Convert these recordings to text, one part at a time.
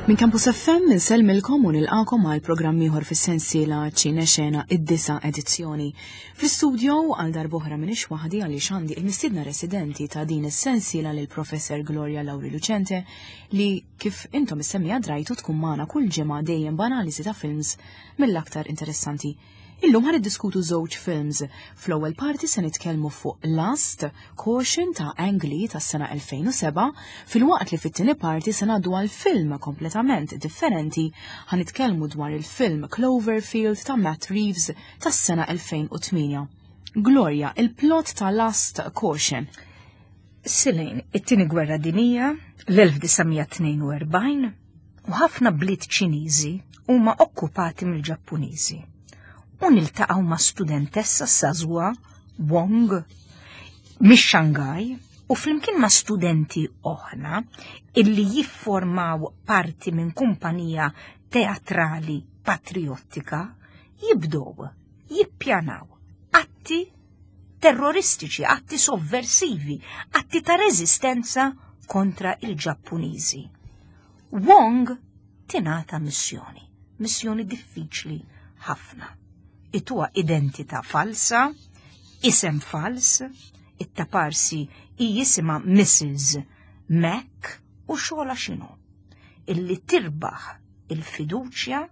Minn Campus FM insellmilkom u nilqakom għal programm ieħor fis-sensiela Ċine Xena id-disa edizzjoni. Fl-istudio għal darb'oħra m'iniex waħdi għaliex għandi il-mistiedna residenti ta' din is-sensiela lil Professor Gloria Lauri Lucente li kif intom is-semmija drajtu tkun magħna kull ġimgħa dejjem b'analiżi ta' films mill-aktar interessanti. Illum ħa niddiskutu żewġ films. Fl-ewwel parti se nitkellmu fuq Lust, Caution ta' Ang Lee tas-sena 2007, filwaqt li fit-tieni parti se ngħaddu għal film kompletament differenti ħa nitkellmu dwar il-film Cloverfield ta' Matt Reeves tas-sena 2008. Gloria, il-plot ta' Lust Caution. Silejn, it-tieni gwerra dinija, l-1942, u ħafna bliet Ċiniżi huma okkupati mill-Ġappuniżi. U niltaqgħu ma' studentessa Sazwa Wong mix-Xangaj u flimkien ma' studenti oħra illi jifformaw parti minn kumpanija teatrali patriottika jibdow jippjanaw atti terroristiċi, atti sovversivi, atti ta' reżistenza kontra il-Ġappuniżi. Wong tingħata missjoni, missjoni diffiċli ħafna. Ituha identità falsa, isem fals, it-taparsi hi jisimha Mrs. Mac u xogħla x'inhu? Illi tirbaħ il-fiduċja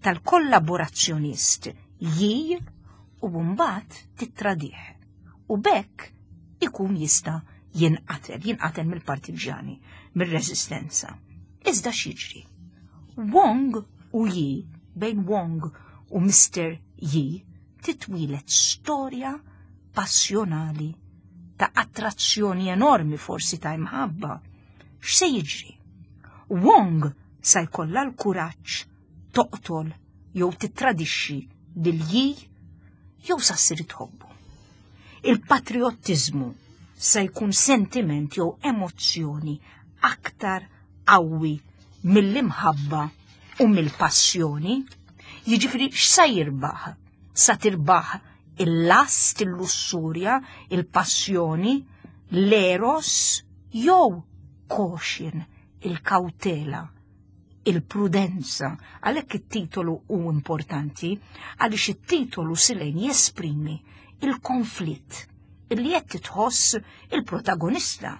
tal-kollaborazzjonist Yi u mbagħad tittradih. U b'hekk ikun jista' jinqatel, jinqatel mill-partiġjani, mir-reżistenza. Iżda x'jiġri? Wong u Yi, bejn Wong u Mr. Yi, titwieled storja passjonali ta' attrazzjoni enormi forsi ta' imħabba. X'se jiġri? Wong sa jkollha l-kuraġġ toqtol jew tittradixxi lil Yi jew sa ssir tħobbu. Il-patriottiżmu se jkun sentiment jew emozzjoni aktar qawwi mill-imħabba u mill-passjoni, jiġifieri x'sa jirbaħ? Sa tirbaħ il-last, il-lussurja, il-passjoni, l-eros jew caution, il-kawtela, il-prudenza. Għalhekk it-titolu hu importanti għaliex it-titolu silejn jesprimi il-konflitt illi qed titħoss il-protagonista.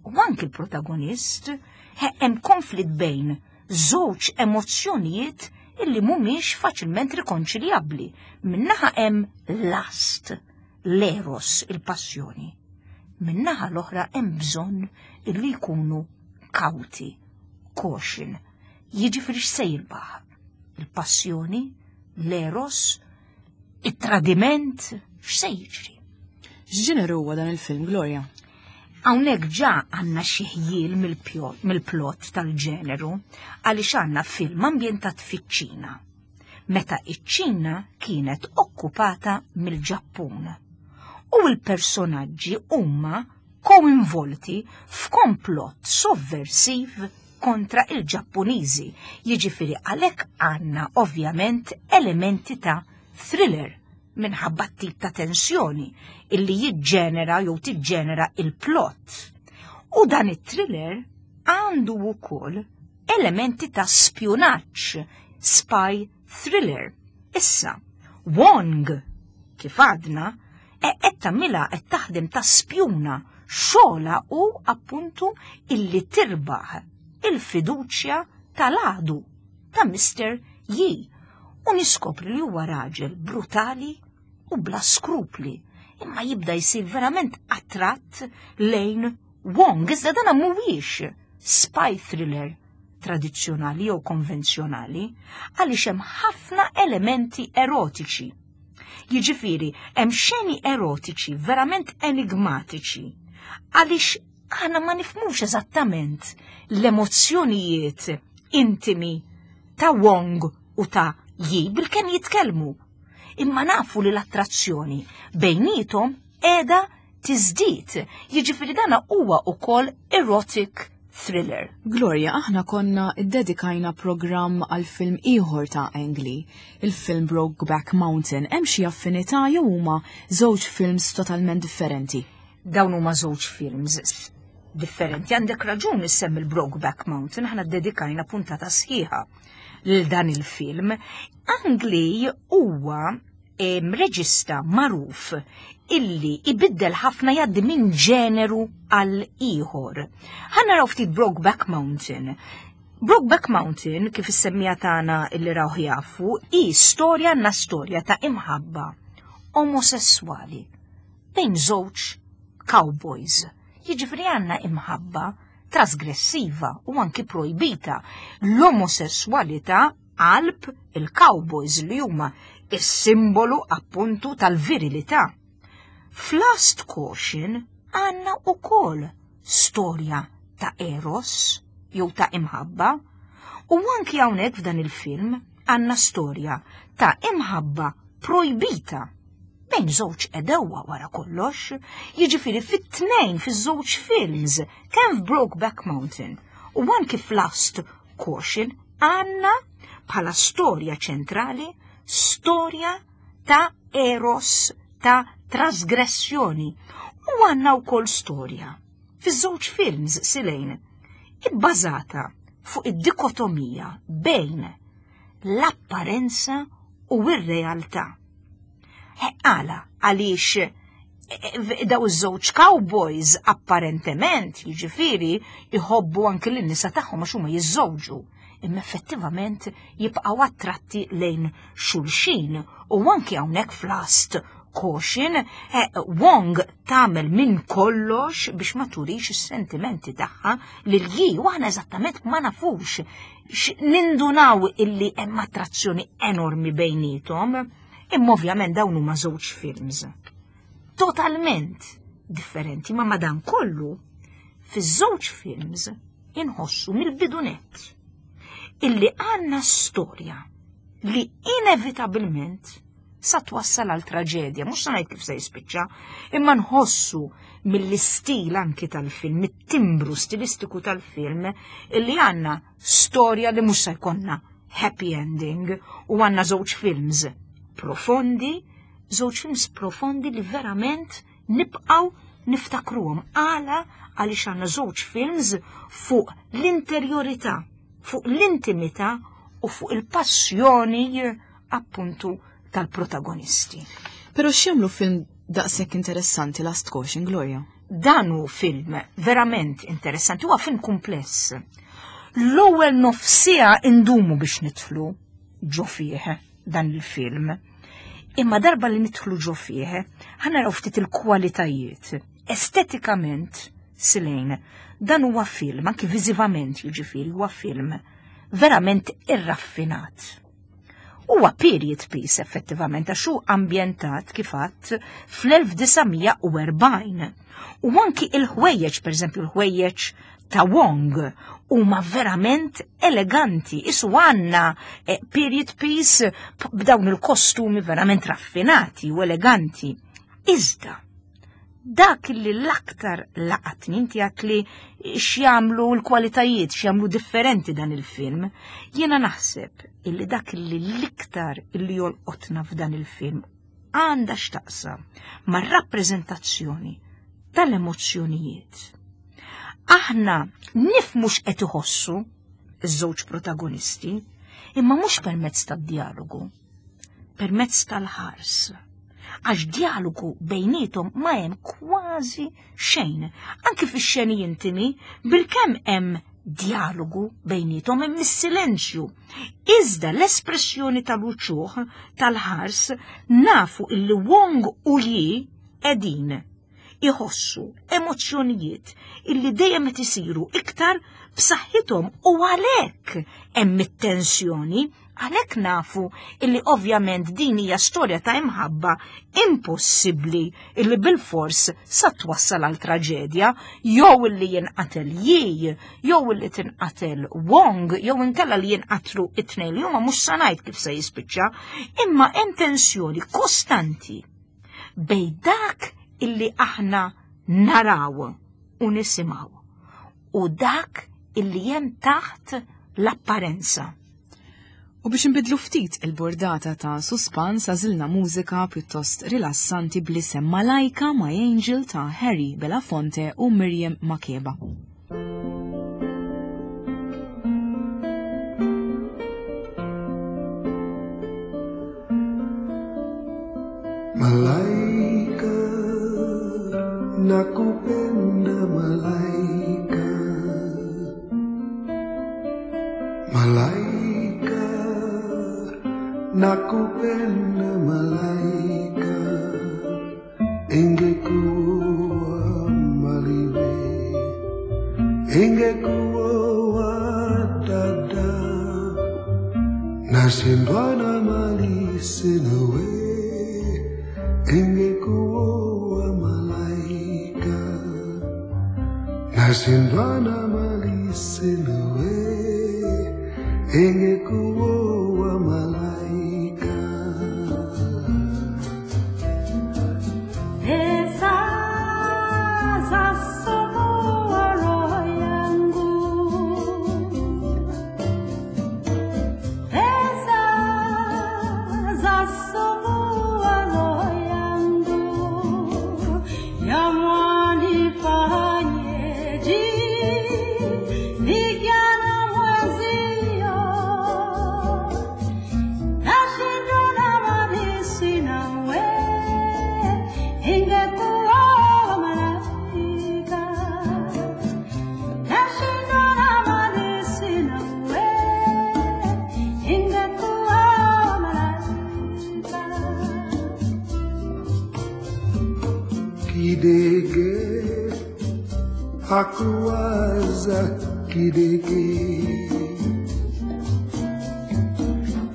U anki il-protagonist hemm konflitt bejn żewġ emozzjonijiet illi mhumiex faċilment rikonċiljabbli. Minnaħa hemm lust, l-eros, il-passjoni. Minnaħa l-oħra hemm bżonn illi jkunu kawti, caution. Jiġifieri x'se jirbaħ? Il-passjoni, l-eros, it-tradiment, x'se jiġri? X'ġeneru huwa dan il-film, Gloria? Hawnhekk ġa għandna xi ħjiel mill-plot tal-ġeneru għaliex għandna film ambjentat fiċ-Ċina. Meta iċ-Ċina kienet okkupata mill-Ġappun. U l-personaġġi huma koinvolti f'komplott sovversiv kontra il-Ġappuniżi. Jiġifieri għalhekk għandna ovvjament elementi ta' thriller minħabba t-tip ta' tensjoni illi jiġġenera jew tiġġenera il-plot. U dan it-thriller għandu wkoll elementi ta' spjunaġġ, spy thriller. Issa, Wong, kif għadna, e qed tagħmilha qed taħdem ta' spjuna xogħla u appuntu illi tirbaħ il-fiduċja tal-għadu ta' Mr. Yi u niskopri li huwa raġel brutali u bla skrupli imma jibda jsir verament attratt lejn Wong, iżda dana mhuwiex spy thriller tradizzjonali jew konvenzjonali għaliex hemm ħafna elementi erotiċi. Jiġifieri hemm xeni erotiċi verament enigmatiċi għaliex aħna ma nifhmux eżattament l-emozzjonijiet intimi ta' Wong u ta' Yi bilkemm jitkellmu. Imma nafu li l-attrazzjoni bejnietom qiegħda tiżdied. Jiġifieri dana huwa wkoll erotic thriller. Gloria, aħna konna ddedikajna programm għal film ieħor ta' Ang Lee, il-film Brokeback Mountain. Hemm xi affinità jew huma żewġ films totalment differenti? Dawn huma żewġ films. differenti. Għandek raġun issemmi il-Brokeback Mountain, aħna ddedikajna puntata sħiħa lil dan il-film. Ang Lee huwa reġista magħruf illi ibiddel ħafna jgħaddi minn ġeneru għal ieħor. Ħa naraw ftit Brokeback Mountain. Brokeback Mountain, kif is-semmija tagħna illi rawh jafu, hi storja għandna storja ta' imħabba omosessuali bejn żewġ cowboys. Jiġifieri għandna imħabba trasgressiva u anki projbita l-omosessualità qalb il-cowboys li huma is-simbolu appuntu tal-virilità. F'Last Caution għandna ukoll storja ta' eros jew ta' imħabba u anki hawnhekk f'dan il-film għandna storja ta' imħabba projbita bejn żewġ għedewwa wara kollox, jiġifieri fit-tnejn fiż-żewġ films, kemm f'Brokeback Mountain u anki f'Last Caution għandna bħala storja ċentrali storja ta' eros ta' trasgressjoni u għandna wkoll storja fiż-żewġ films silejn ibbażata fuq id-dikotomija bejn l-apparenza u r-realtà. Għala, għaliex eh, eh, daw iż-żewġ cowboys apparentement, jiġifieri, jħobbu anki lin-nisa tagħhom għax huma jiżżewġu, imma effettivament jibqgħu attratti lejn xulxin u anki hawnhekk f'Last Caution, eh, Wong tagħmel minn kollox biex ma turix is-sentimenti tagħha lil Yi u aħna eżattament ma nafux nindunaw illi hemm attrazzjoni enormi bejnietom, imma ovvjament dawn huma żewġ films totalment differenti, ma madan kollu fiż-żewġ films inħossu mill-bidunet illi għandna storja li inevitabilment sa twassal għal traġedja, mhux sa ngħid kif se jispiċċa, imma nħossu mill-istil anki tal-film, mit-timbru stilistiku tal-film, illi għandna storja li mhux se jkollna happy ending u għandna żewġ films profondi, żewġ films profondi li verament nibqgħu niftakruhom għala għaliex għandna żewġ films fuq l-interjorità, fuq l-intimità u fuq il-passjoni appuntu tal-protagonisti. Però x'jagħmlu film daqshekk interessanti Last Caution, Gloria? Dan hu film verament interessanti, huwa film kumpless. L-ewwel nofsija indumu biex nidħlu ġo fih dan il-film. Imma darba li nidħlu ġo fih, ħa naraw ftit il-kwalitajiet. Estetikament, Silejn, dan huwa film, anki viżivament jiġifieri huwa film verament irraffinat. Huwa period piece effettivament għax hu ambjentat kif għadt fl-1940. U anki il-ħwejjeġ, pereżempju l-ħwejjeġ ta' Wong, huma verament eleganti. Isu għandna eh, period piece b'dawn il-kostumi verament raffinati u eleganti. Iżda, dak li l-aktar laqatni inti għat li x'jagħmlu l-kwalitajiet, x'jagħmlu differenti dan il-film, jiena naħseb illi dak li l-iktar illi jolqotna f'dan il-film għandha x'taqsam mar-rappreżentazzjoni tal-emozzjonijiet. Aħna nifmu x'qed iħossu iż-żewġ protagonisti, imma mhux permezz tad-dialogu, permezz tal-ħars. Għax dialogu bejnietom ma hemm kważi xejn. Anki fix-xeni intimi, bilkemm hemm dialogu bejnietom hemm is-silenzju. Iżda l-espressjoni tal-uċuħ tal-ħars nafu illi Wong u Yi qegħdin iħossu emozzjonijiet illi dejjem qed isiru iktar b'saħħithom u għalhekk hemm it-tensjoni, għalhekk nafu illi ovvjament din hija storja ta' imħabba impossibbli illi bilfors sa twassal għal traġedja, jew illi jinqatel Yi, jew illi tinqatel Wong, jew inkella li jinqatlu it-tnejn li huma mhux sa ngħid kif se jispiċċa, imma hemm tensjoni kostanti bej dak illi aħna naraw u nisimgħu u dak illi hemm taħt l-apparenza. U biex nbidlu ftit il-burdata ta' suspans għażilna mużika pjuttost rilassanti bl-isem Malaika My Angel ta' Harry Belafonte u Miriam Makeba. Malaika, nakupenda malaika. Malaika, nakupenda malaika. Ingekuwa maliwe, ingekuwa dada. Nashindwa na mali sina we, ingekuwa malaika. Nashindwa na mali sina we, ingekuwa malaika. Pesa za somoa roho yangu, pesa za somoa roho yangu, yamwanifanyeje nijana mwenzio nashindwa na mali sina we, ingekuwa malaika. Nashindwa na mali sina we, ingekuwa malaika. Kidege hakuwaza kidege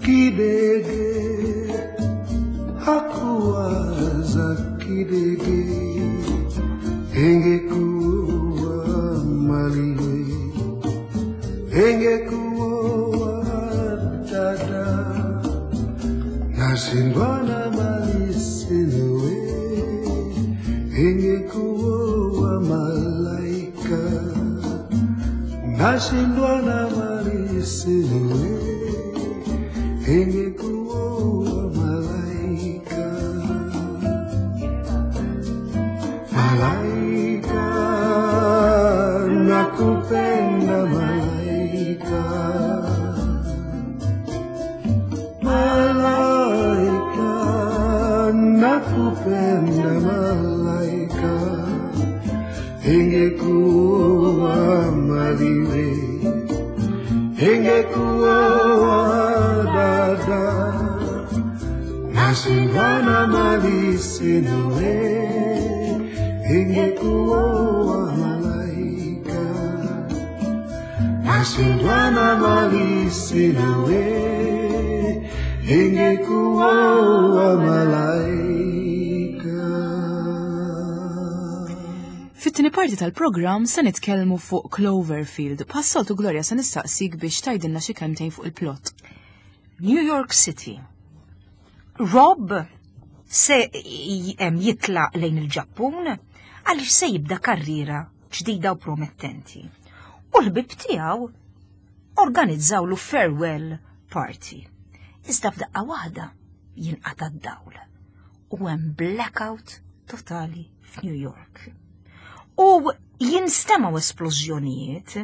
kidege hakuwaza kidege ingekuwa maliwe ingekuwa dada nashindwa na mali sina we ingekuwa malaika nashindwa na mali sina we ingekuwa malaika malaika nakupenda malaika malaika nakupenda malaika ingekuwa maliwe ingekuwa dada nashindwa na mali sina we ingekuwa malaika nashindwa na mali sina we ingekuwa malaika Fit-tieni parti tal-programm se nitkellmu fuq Cloverfield. Bħas-soltu Gloria se nistaqsik biex tgħidilna xi kelmtejn fuq il-plot. New York City. Rob se jitlaq lejn il-Ġappun għaliex se jibda karriera ġdida u promettenti. U l-ħbib tiegħu organizzawlu farewell party. Iżda f'daqqa waħda jinqata' d-dawl u hemm blackout totali f'New York. U jinstemaw esplożjonijiet,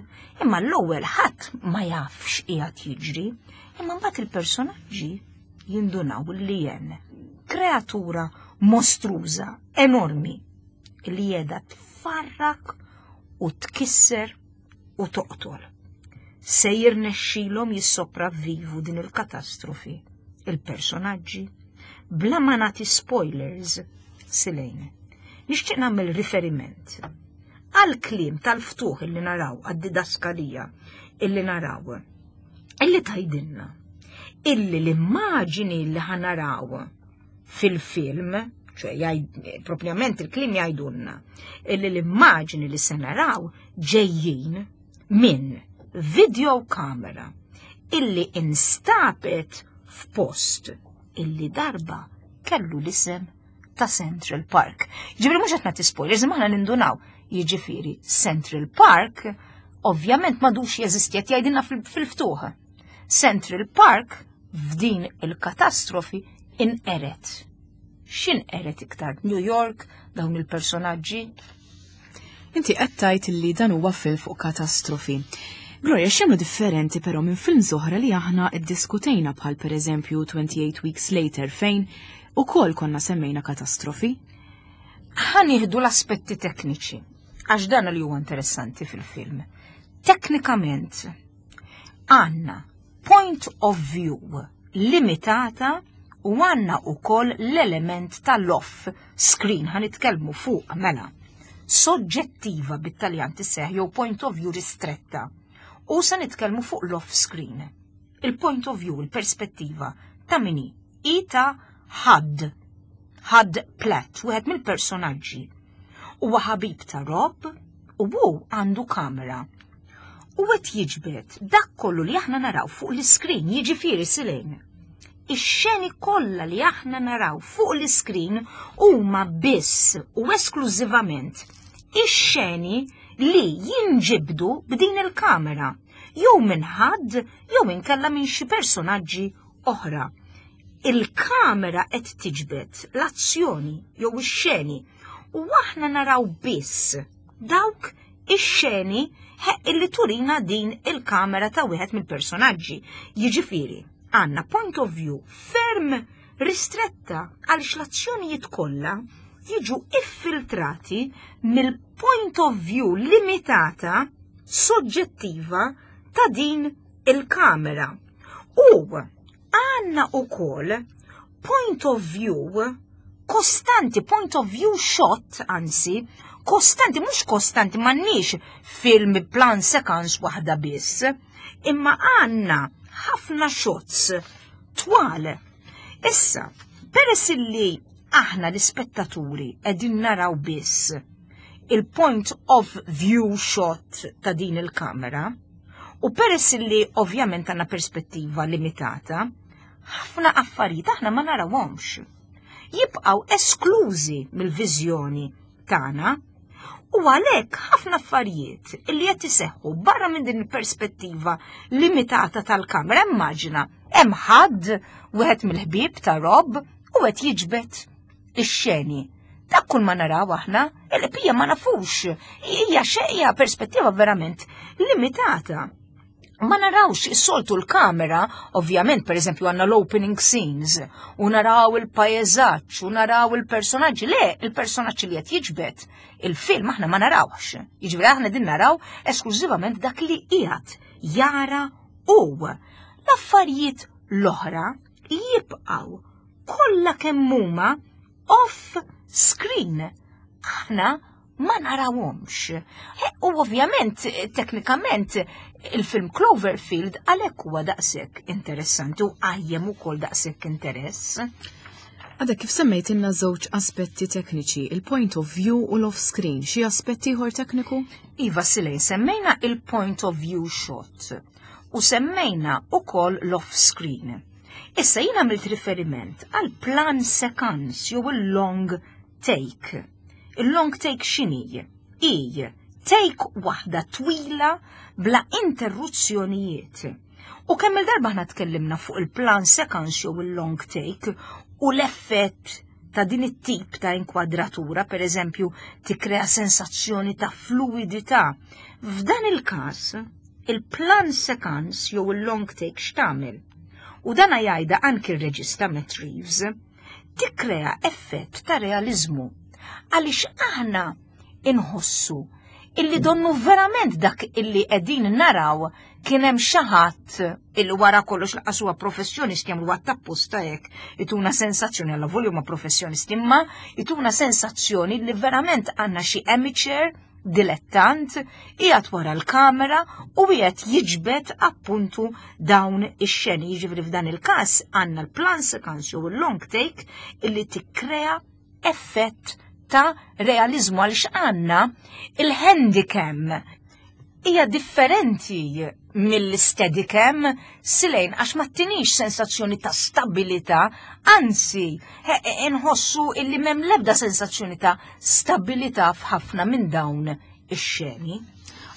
imma l-ewwel ħadd ma jafx qiegħed jiġri, imma mbagħad il-personaġġi jindunaw li hemm kreatura mostruża, enormi, li qiegħda tfarrak u tkisser u toqtol. Se jirnexxilhom jissopravvivu din il-katastrofi, il-personaġġi, bla ma nagħti spoilers silejn. Nixtieq nagħmel riferiment għal kliem tal-ftuħ illi naraw, għad-didaskalija illi naraw, illi tajdinna, illi l-immaġini li ħanaraw fil-film, ċe propjament il-kliem jgħidulna, illi l-immaġini li se naraw ġejjin minn video kamera illi instabet f'post illi darba kellu l-isem ta' Central Park. Ġifieri mhux qed nagħti spoilers, imma aħna nindunaw. Jiġifieri Central Park ovvjament m'għadux jeżisti qed jgħidilna fil-ftuħ. Central Park F'din il-katastrofi inqeret. X'inqeret iktar? New York, dawn il-personaġġi? Inti qed tgħid li dan huwa film fuq katastrofi. Gloria, x'jagħmlu differenti però minn films oħra li aħna iddiskutejna bħal pereżempju 28 Weeks Later fejn ukoll konna semmejna katastrofi? Ħa nieħdu l-aspetti tekniċi, għax dan li huwa interessanti fil-film. Teknikament, għandna point of view limitata u għandna ukoll l-element tal-off screen ħa nitkellmu fuq mela. Soġġettiva bit-Taljan tisseħ jew point of view ristretta. U se nitkellmu fuq l-off screen. Il-point of view, il-perspettiva ta' min hi? I ta' Hud. Hud Platt, wieħed mill-personaġġi. Huwa ħabib ta' Rob u hu għandu kamera. U qed jiġbed dak kollu li aħna naraw fuq l-iskrin, jiġifieri Silene. Ix-xeni kollha li aħna naraw fuq l-iskrin huma biss u esklużivament ix-xeni li jinġibdu b'din il-kamera, jew minn Hud jew inkella minn xi personaġġi oħra. Il-kamera qed tiġbed l-azzjoni jew ix-xeni u aħna naraw biss dawk ix-xeni illi turina din il-kamera ta' wieħed mill-personaġġi. Jiġifieri, għandna point of view ferm ristretta għaliex l-azzjonijiet kollha jiġu iffiltrati mill-point of view limitata soġġettiva ta' din il-kamera. U għandna ukoll point of view kostanti, point of view shot, anzi, kostanti, mhux kostanti, m'għandniex film plan sequence waħda biss, imma għandna ħafna shots twal. Issa, peress li aħna l-ispettaturi qegħdin naraw biss il-point of view shot ta' din il-kamera, u peress li ovvjament għandna perspettiva limitata, ħafna affarijiet aħna ma narawhomx. Jibqgħu esklużi mill-viżjoni tagħna u għalhekk ħafna affarijiet li qed iseħħu barra minn din il-perspettiva limitata tal-kamera, immaġina hemm ħadd wieħed mill-ħbieb ta' Rob u qed jiġbed ix-xeni. Dak kull ma naraw aħna, il-qbija ma nafux, hija xejja perspettiva verament limitata. Ma narawx is-soltu l-kamera, ovvjament, per eżempju, għandna l-opening scenes, u naraw il-pajjeżaġġ, u naraw il-personaġġi. Le, il-personaġġi li qed jiġbed il-film aħna ma narawx. Jiġifieri aħna din naraw esklużivament dak li qiegħed jara u l-affarijiet l-oħra jibqgħu kollha kemm huma off screen. Aħna ma narawhomx. U ovvjament, teknikament, il-film Cloverfield għalhekk huwa daqshekk interessanti u qajjem ukoll daqshekk interess. Għadek kif semmejt inna żewġ aspetti tekniċi, il-point of view u l-off screen, xi aspetti ieħor tekniku? Iva, Silej, semmejna il-point of view shot u semmejna ukoll l-off screen. Issa jien għamilt riferiment għal plan sequence jew il-long take. Il-long take x'inhi? I take waħda twila bla interruzzjonijiet. U kemm il-darba ħna tkellimna fuq il-plan sequence jew il-long take u l-effett ta' din it-tip ta' inkwadratura, per eżempju, tikkrea sensazzjoni ta' fluidità. F'dan il-każ, il-plan sequence jew il-long take x'tagħmel? U dan jgħidha anki r-reġista Matt Reeves, tikkrea effett ta' realizmu. Għaliex aħna inħossu illi donnu verament dak illi qegħdin naraw kien hemm xi ħadd illi wara kollox laqas huwa professjonisti jagħmlu għat-tapposta hekk ituna sensazzjoni alla volja huma professjonisti imma ituna sensazzjoni li verament għandna xi amateur dilettant qiegħed wara l-kamera u qiegħed jiġbed appuntu dawn ix-xeni. Jiġifieri f'dan il-każ għandna l-plan sequence jew il-long take illi tikkrea effett ta' realizmu għaliex għandna il-handycam hija differenti mill-steadicam silejn għax ma tinix sensazzjoni ta' stabilità, anzi, inħossu illi m'hemm l-ebda sensazzjoni ta' stabilità f'ħafna minn dawn ix-xeni.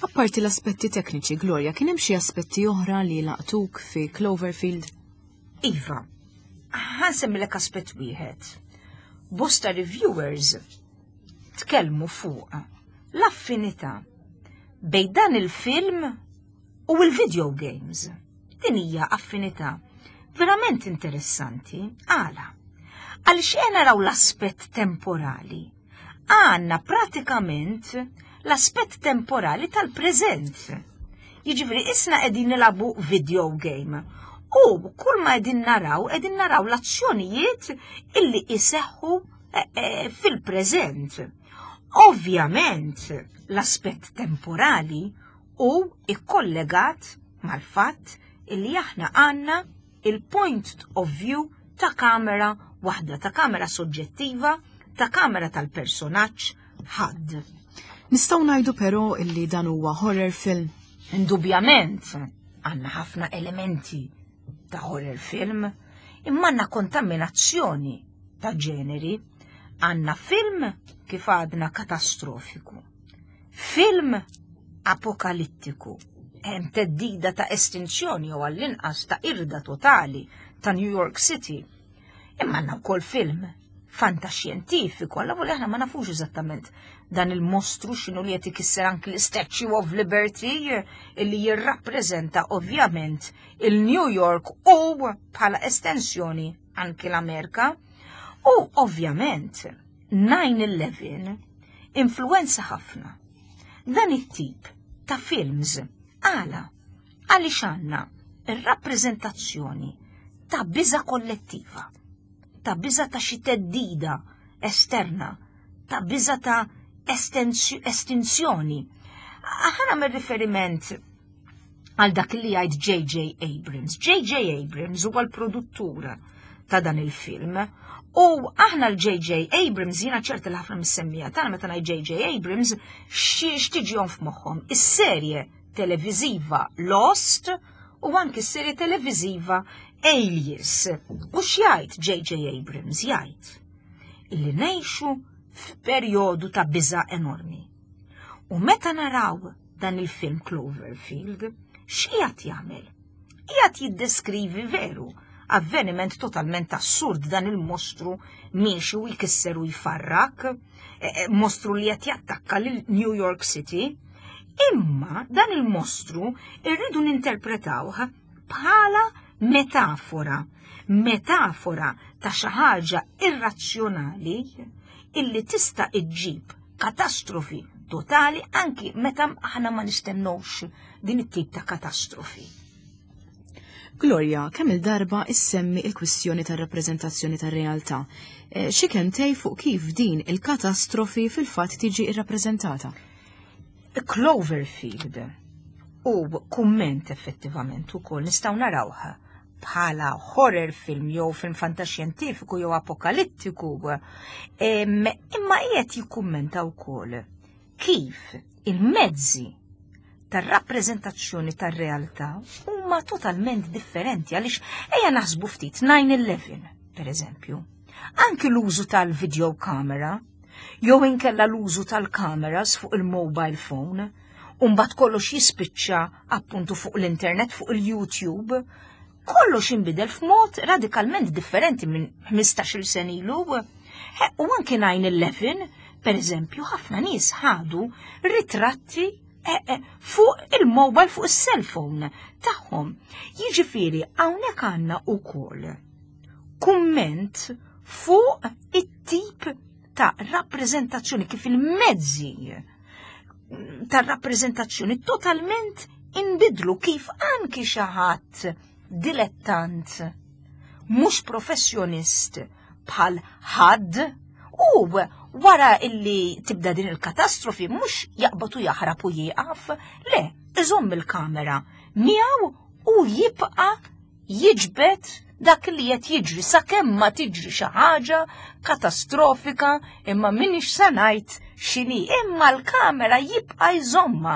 Apparti l-aspetti tekniċi, Gloria, kien hemm xi aspetti oħra li laqtuk fi Cloverfield? Iva, ħansemmilek aspett wieħed. Bosta reviewers tkellmu fuq l-affinità bejn dan il-film u l-video games. Din hija affinità verament interessanti għala. Għaliex qed naraw l-aspett temporali. Għandna pratikament l-aspett temporali tal-preżent. Jiġifieri isna qegħdin nilagħbu video game u kull ma qegħdin naraw qegħdin naraw l-azzjonijiet illi iseħħu eh, eh, fil-preżent. Ovvjament l-aspett temporali hu ikkollegat mal-fatt illi aħna għandna il-point of view ta' kamera waħda, ta' kamera soġġettiva, ta' kamera tal-personaġġ ħadd. Nistgħu ngħidu però illi dan huwa horror film. Indubjament għandna ħafna elementi ta' horror film, imma għandna kontaminazzjoni ta' ġeneri, għandna film kif għadna katastrofiku. Film apokalittiku. Hemm teddida ta' estinzjoni jew għall-inqas ta' irda totali ta' New York City. Imma għandna wkoll film fantaxjentifiku, għalla volja aħna ma nafux eżattament dan il-mostru x'inhu li qed ikisser anki l-Statue of Liberty illi jirrappreżenta ovvjament il-New York u bħala estensjoni anki l-Amerika. U ovvjament 9-11 influenza ħafna dan it-tip ta' films. Għala, għaliex għandna ir-rappreżentazzjoni ta' biża kollettiva, ta' biża ta' xi teddida esterna, ta' biża ta' estinzjoni. Aħna mir riferiment għal dak li jgħid J.J. Abrams. J.J. Abrams huwa l-produttur ta' dan il-film. U aħna l-J.J. Abrams, jiena ċerta li ħafna mis-semmija tagħna meta ngħid J.J. Abrams, x'tiġihom f'moħħhom? Is-serje televiżiva Lost u anki s-serje televiżiva Alias. U x'jgħid J.J. Abrams? Jgħid illi ngħixu f'perjodu ta' biża' enormi. U meta naraw dan il-film Cloverfield, x'qiegħed jagħmel? Qiegħed jiddeskrivi veru avveniment totalment assurd dan il-mostru miexi u jkisser u jfarrak, e, e, mostru li qed jattakka lil New York City. Imma dan il-mostru irridu ninterpretawh bħala metafora, metafora ta' xi ħaġa irrazzjonali illi tista' iġġib katastrofi totali anki meta aħna ma nistennewx din it-tip ta' katastrofi. Gloria, kemm il-darba issemmi il-kwistjoni tar-rappreżentazzjoni tar-realtà. Eh, xi kentej fuq kif din il-katastrofi fil-fatt tiġi irrappreżentata? Cloverfield u kumment effettivament ukoll nistgħu narawha bħala horror film jew film fantaxjentifiku jew apokalittiku, imma qiegħed jikkummenta wkoll kif il-mezzi tar-rappreżentazzjoni tar-realtà huma totalment differenti għaliex ejja naħsbu ftit 9-11, per eżempju. Anki l-użu tal-video camera jew inkella l-użu tal-kameras fuq il-mobile phone, u mbagħad kollox jispiċċa appuntu fuq l-internet, fuq il-YouTube, kollox inbidel f'mod radikalment differenti minn 15-il sen ilu. U anki 9-11, per eżempju, ħafna nies ħadu ritratti eh, eh, fuq il-mobile, fuq il-cellphone tagħhom. Jiġifieri hawnhekk għandna wkoll kumment fuq it-tip ta' rappreżentazzjoni kif il-mezzi ta' rappreżentazzjoni totalment inbidlu kif anki xi ħadd dilettant mhux professjonist bħal ħadd u wara illi tibda din il-katastrofi mhux jaqbad u jaħrab u jieqaf, le, iżomm il-kamera miegħu u jibqa' jiġbed dak li qed jiġri sakemm ma tiġri xi ħaġa katastrofika imma minix se ngħid x'inhi imma l-kamera jibqa' jżomma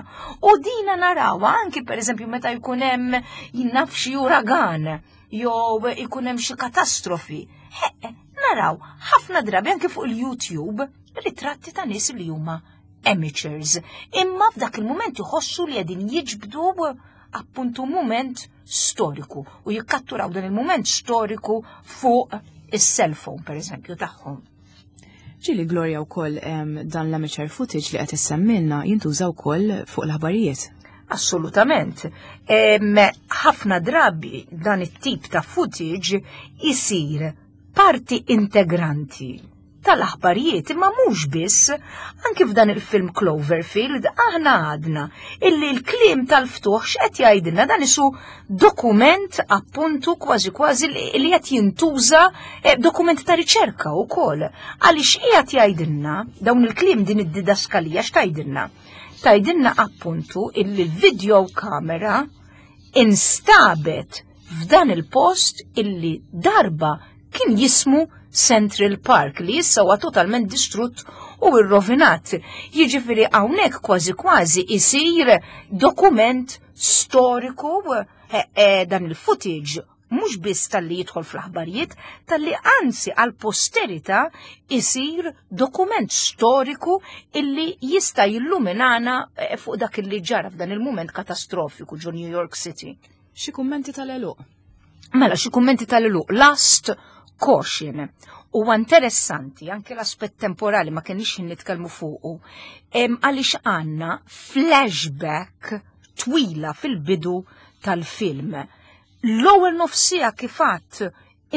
u dina narawha anki pereżempju meta jkun hemm jinnaf xi uragan jew ikun hemm xi katastrofi. Naraw ħafna drabi anki fuq il-YouTube ritratti ta' nies li huma amateurs. Imma f'dak il-mument iħossu li qegħdin jiġbdu. appuntu mument storiku u jikkatturaw dan il-mument storiku fuq is-cellphone per eżempju tagħhom. Ġili Gloria wkoll dan l-amateur footage li qed issemmilna jintuża wkoll fuq l-aħbarijiet. Assolutament. Ħafna drabi dan it-tip ta' footage isir parti integranti tal-aħbarijiet, imma mhux biss, anki f'dan il-film Cloverfield aħna għadna illi l-kliem tal-ftuħ x'qed jgħidilna dan isu dokument appuntu kważi kważi li qed jintuża eh, dokument ta' riċerka wkoll. Għaliex qiegħed jgħidilna dawn il-kliem din id-didaskalija x'tgħidilna? Tgħidilna appuntu illi l-video kamera instabet f'dan il-post illi darba kien jismu Central Park li issa huwa totalment distrutt u rrovinat. Jiġifieri hawnhekk kważi kważi isir dokument storiku eh, eh, dan il-footage mhux biss talli jidħol fl-aħbarijiet, talli anzi għal posterità isir dokument storiku illi jista' jilluminana eh, fuq dak illi ġara f'dan il-mument katastrofiku ġo New York City. Xi kummenti tal-eluq? Mela, xi kummenti tal-eluq. Last caution. Huwa interessanti anke l-aspett temporali ma kienx nitkellmu fuqu. Għaliex għandna flashback twila fil-bidu tal-film. L-ewwel nofsija kif għadt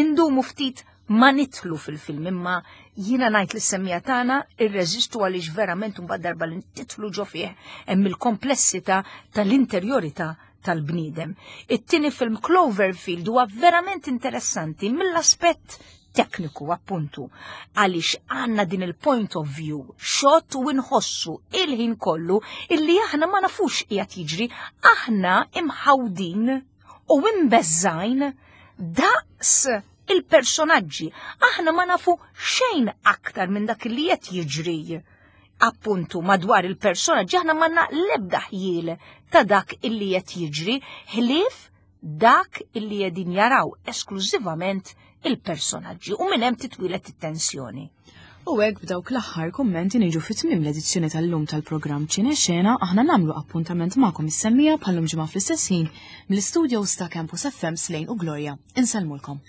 indumu ftit ma nitlu fil-film imma jiena ngħid lis semmija tagħna irreżistu għaliex verament imbagħad darba li titlu ġo fih hemm il-komplessità tal-interjorità tal-bniedem. It-tieni film Cloverfield huwa verament interessanti mill-aspett tekniku appuntu għaliex għanna din il-point of view shot u nħossu il-ħin kollu illi aħna ma nafux qiegħed jiġri, aħna imħawdin u imbeżżajn daqs il-personaġġi. Aħna ma nafu xejn aktar minn dak li qed jiġri appuntu madwar il-personaġġi, aħna ma l-ebda ħjiel ta' dak illi qed jiġri ħlief dak illi qegħdin jaraw esklużivament il-personaġġi u minn hemm titwilet it-tensjoni. U hekk b'dawk l-aħħar kummenti niġu fi tmiem l-edizzjoni tal-lum tal-programm Ċine Xena, aħna nagħmlu appuntament magħkom is-semmija bħallum ġimgħa fl-istess ħin mill-istudios ta' Campus FM Slejn u Gloria. Insellmulkom.